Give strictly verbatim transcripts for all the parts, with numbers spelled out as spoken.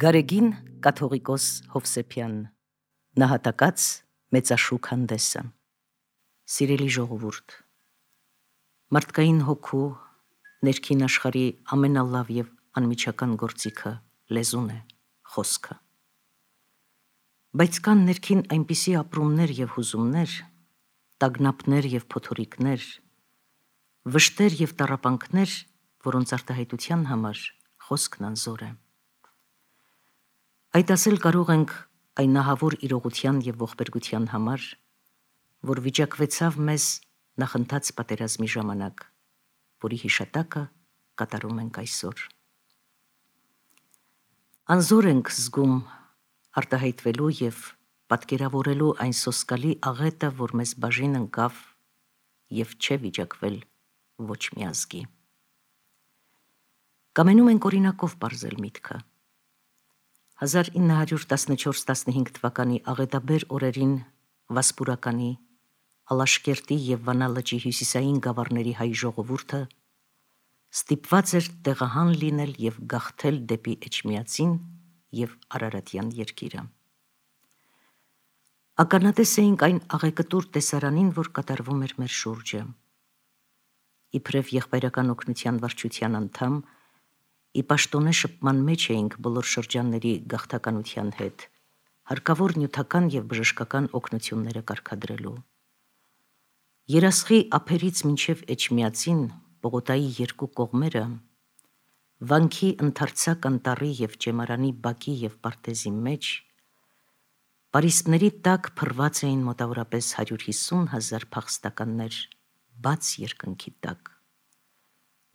Գարեգին կաթողիկոս Հովսեփյան նահատակած մեծաշուք հանդեսը։ Սիրելի ժողովուրդ, մարդկային հոգու ներքին աշխարհի ամենալավ եւ անմիջական գործիքը լեզուն է, խոսքը։ Բայց կան ներքին այնպիսի ապրումներ եւ հուզումներ, տագնապներ եւ փոթորիկներ, վշտեր եւ տառապանքներ, որոնց արտահայտության համար խոսքն անզոր է։ Այդ ասել կարող ենք այն նահավոր իրողության եւ ողբերգության համար, որ վիճակվեցավ մեզ նախընթաց պատերազմի ժամանակ, որի հիշատակը կատարում ենք այսօր։ Անզոր ենք զգում արտահայտվելու եւ պատկերավորելու այն սոսկալի աղետը, որ մեզ բաժին ընկավ եւ չէ վիճակվել ոչ մի ազգի։ Կամենում ենք օրինակով բարձել միտքը։ հազար ինը հարյուր տասնչորս տասնհինգ թվականի աղետաբեր օրերին Վասպուրականի, Ալաշկերտի եւ Վանա լճի հյուսիսային գավառների հայ ժողովուրդը ստիպված էր տեղահան լինել եւ գաղթել դեպի Էջմիածին եւ Արարատյան երկիրը։ Ականատես էինք այն աղեկտուր տեսարանին, որ կատարվում էր մեր շուրջը։ Իբրև եղբայրական օգնության վարչության անդամ, ի պաշտոնե շփման մեջ էինք բոլոր շրջանների գաղթականության հետ, հարկավոր նյութական եւ բժշկական օգնությունները կարգադրելու։ Երասխի ափերից մինչև Էջմիածին Պողոտայի երկու կողմերը, վանքի ընդարձակ անտառի եւ ճեմարանի բակի եւ պարտեզի մեջ, պարիսպների տակ փռված էին մոտավորապես հարյուր հիսուն հազար փախստականներ բաց երկնքի տակ,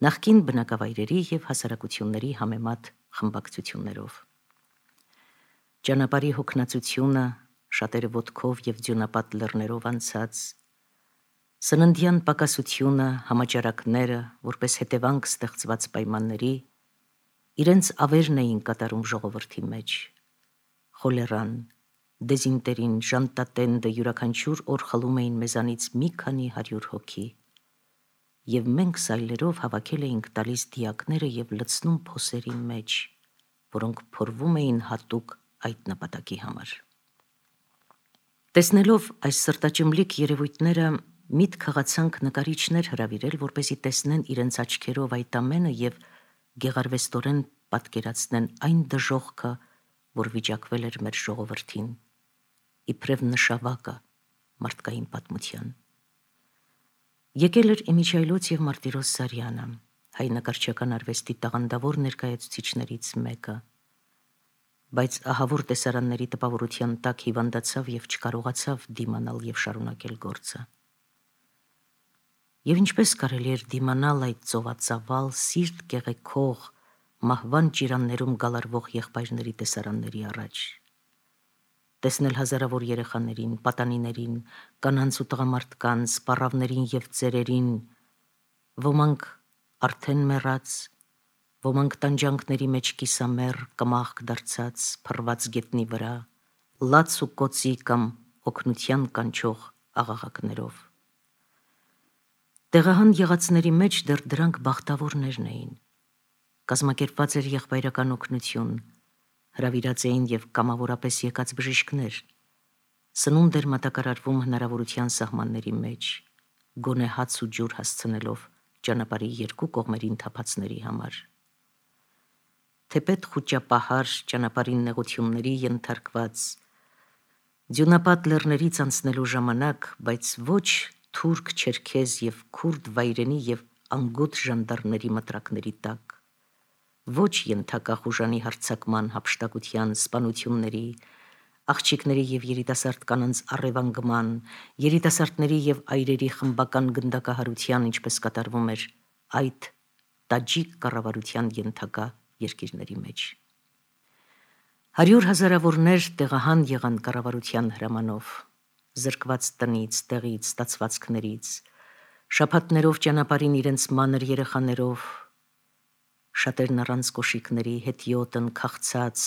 նախկին բնակավայրերի եւ հասարակությունների համեմատ խմբակցություններով։ Ճանապարհի հոգնածությունը, շատերը ոտքով եւ ձյունապատ լեռներով անցած, սննդյան պակասությունը, համաճարակները, որպես հետևանք ստեղծված պայմանների, իրենց ավերն էին կատարում ժողովրդի մեջ։ Խոլերան, դեզինտերին, ժանտատենդը յուրաքանչյուր օր խլում էին մեզանից մի քանի հարյուր հոգի, եւ մենք սայլերով հավաքել էինք տալիս դիակները եւ լցնում փոսերի մեջ, որոնք փորվում էին հատուկ այդ նպատակի համար։ Տեսնելով այս սրտաճմլիկ երևույթները, միտք հղացանք նկարիչներ հրավիրել, որպեսզի տեսնեն իրենց աչքերով այդ ամենը եւ գեղարվեստորեն պատկերացնեն այն դժոխքը, որ վիճակվել էր մեր ժողովրդին, իբրև նշավակը մարդկային պատմության։ Եկել էր Իմիջայլոց եւ Մարտիրոս Սարյանը, հայ նկարչական արվեստի տաղանդավոր ներկայացուցիչներից մեկը, բայց ահավոր տեսարանների տպավորության տակ հիվանդացավ եւ չկարողացավ դիմանալ եւ շարունակել գործը։ Եվ ինչպես կարելի էր դիմանալ այդ ծովածավալ, սիրտ կեղեքող, մահվան ճիրաններում գալարվող եղբայրների տեսարանների առաջ, տեսնել հազարավոր երեխաներին, պատանիներին, կանանց ու տղամարդկանց, պառավներին եւ ծերերին, ոմանք արդեն մեռած, ոմանք տանջանքների մեջ կիսամեռ, կմախք դարձած, փռված գետնի վրա, լաց ու կոցի կամ օգնության կանչող աղաղակներով։ Տեղահան եղածների մեջ դեռ դրանք բախտավորներն էին։ Կազմակերպված էր եղբայրական օգնություն, հրավիրած էին եւ կամավորապես եկած բժիշկներ, սնունդ էր մատակարարվում հնարավորության սահմանների մեջ, գոնե հաց ու ջուր հասցնելով ճանապարհի երկու կողմերին թափածների համար։ Թեպետ խուճապահար ճանապարհին նեղությունների ենթարկված, ձյունապատ լեռներից անցնելու ժամանակ, բայց ոչ թուրք, չերքեզ եւ քուրդ վայրենի եւ անգութ ժանդարմների մտրակների տակ, ոչ ենթակա խուժանի հարձակման, հափշտակության, սպանությունների, աղջիկների եւ երիտասարդ կանանց առևանգման, երիտասարդների եւ այրերի խմբական գնդակահարության, ինչպես կատարվում էր այդ տաջիկ կառավարության ենթակա երկիրների մեջ։ Հարյուր հազարավորներ տեղահան եղան կառավարության հրամանով, զրկված տնից, տեղից, ստացվածքներից, շաբաթներով ճանապարհին իրենց մանր երեխաներով, շատերն առանց կոշիկների, հետիոտն, քաղցած,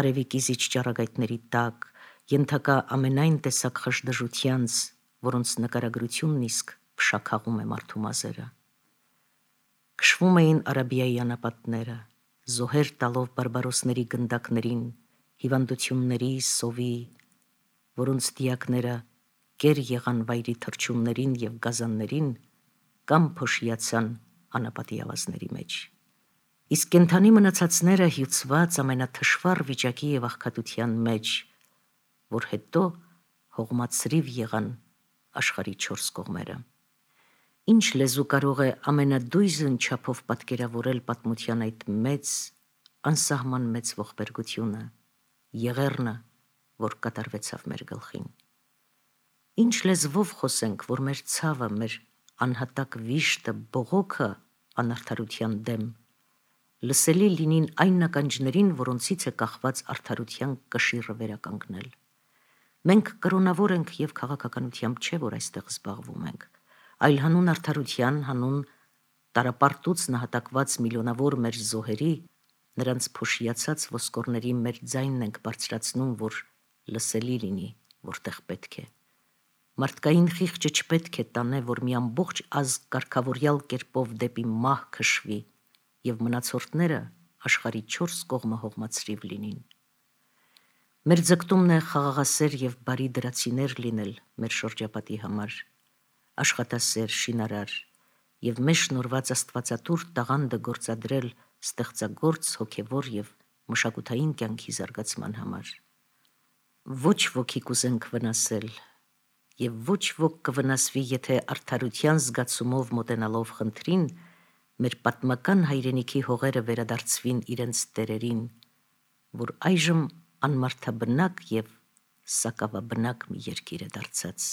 արևի կիզիչ ճառագայթների տակ, ենթակա ամենայն տեսակ խժդժությանց, որոնց նկարագրությունն իսկ փշաքաղում է մարդու մազերը։ Քշվում էին Արաբիայի անապատները, զոհեր տալով բարբարոսների գնդակներին, հիվանդությունների, սովի, որոնց դիակները կեր եղան վայրի թռչուններին և գազաններին, կամ փոշիացան անապատի ավազների մեջ։ Իսկ կենդանի մնացածները հյուծված ամենաթշվառ վիճակի և աղքատության մեջ, որ հետո հողմացրիվ եղան աշխարհի չորս կողմերը։ Ինչ լեզու կարող է ամենադույզն չափով պատկերավորել պատմության այդ մեծ, անսահման մեծ ողբերգությունը, եղեռնը, որ կատարվեցավ մեր գլխին։ Ինչ լեզվով խոսենք, որ մեր ցավը, մեր անհատակ վիշտը, բողոքը անարդարության դեմ լսելի լինին այն ականջներին, որոնցից է կախված արդարության կշիռը վերականգնել։ Մենք կրոնավոր ենք և քաղաքականությամբ չէ, որ այստեղ զբաղվում ենք, այլ հանուն արդարության, հանուն տարապարտուց նահատակված միլիոնավոր մեր զոհերի, նրանց փոշիացած ոսկորների մեր ձայնն ենք բարձրացնում, որ լսելի լինի, որտեղ պետք է։ Մարդկային խիղճը չպետք է տանե, որ մի ամբողջ ազգ կարգավորյալ կերպով դեպի մահ քշվի և մնացորդները աշխարհի չորս կողմը հողմացրիվ լինին։ Մեր ձգտումն է խաղաղասեր և բարի դրացիներ լինել մեր շրջապատի համար, աշխատասեր, շինարար և մեզ շնորհված աստվածատուր տաղանդը գործադրել ստեղծագործ, հոգևոր և մշակութային կյանքի զարգացման համար։ Ոչ ոքի կուզենք վնասել, և ոչ ոք կվնասվի, եթե արդարության զգացումով մոտենալով խնդրին, մեր պատմական հայրենիքի հողերը վերադարձվին իրենց տերերին, որ այժմ անմարդաբնակ և սակավաբնակ մի երկիր է դարձած։